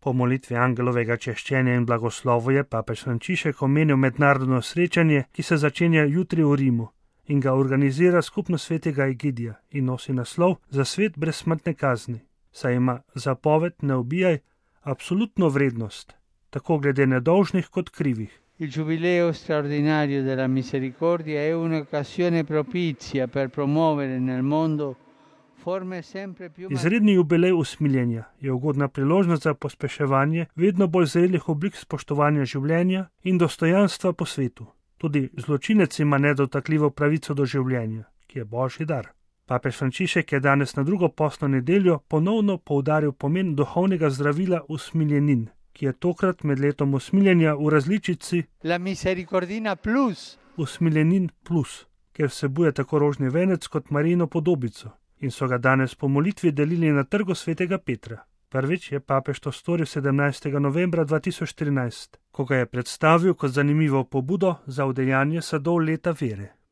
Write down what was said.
Po molitvi angelovega češčenja in blagoslovu je papež Frančišek omenil mednarodno srečanje, ki se začenja jutri v Rimu in ga organizira Skupnost svetega Egidija in nosi naslov Za svet brez smrtne kazni, saj ima zapoved ne ubijaj absolutno vrednost, tako glede nedolžnih kot krivih. Il Giubileo straordinario della misericordia è un'occasione propizia per promuovere nel mondo forme sempre più. Izredni jubilej usmiljenja je ugodna priložnost za pospeševanje vedno bolj zrelih oblik spoštovanja življenja in dostojanstva po svetu. Tudi zločinec ima nedotakljivo pravico do življenja, ki je božji dar. Papež Frančišek je danes na drugo postno nedeljo ponovno poudaril pomen duhovnega zdravila usmiljenin, ki je tokrat med letom usmiljenja v različici La Misericordina Plus. Usmiljenin plus, ker vsebuje tako rožni venec kot Marijino podobico in so ga danes po molitvi delili na trgu svetega Petra. Prvič je papež to storil 17. novembra 2013, ko ga je predstavil kot zanimivo pobudo za udejanje sadov leta vere.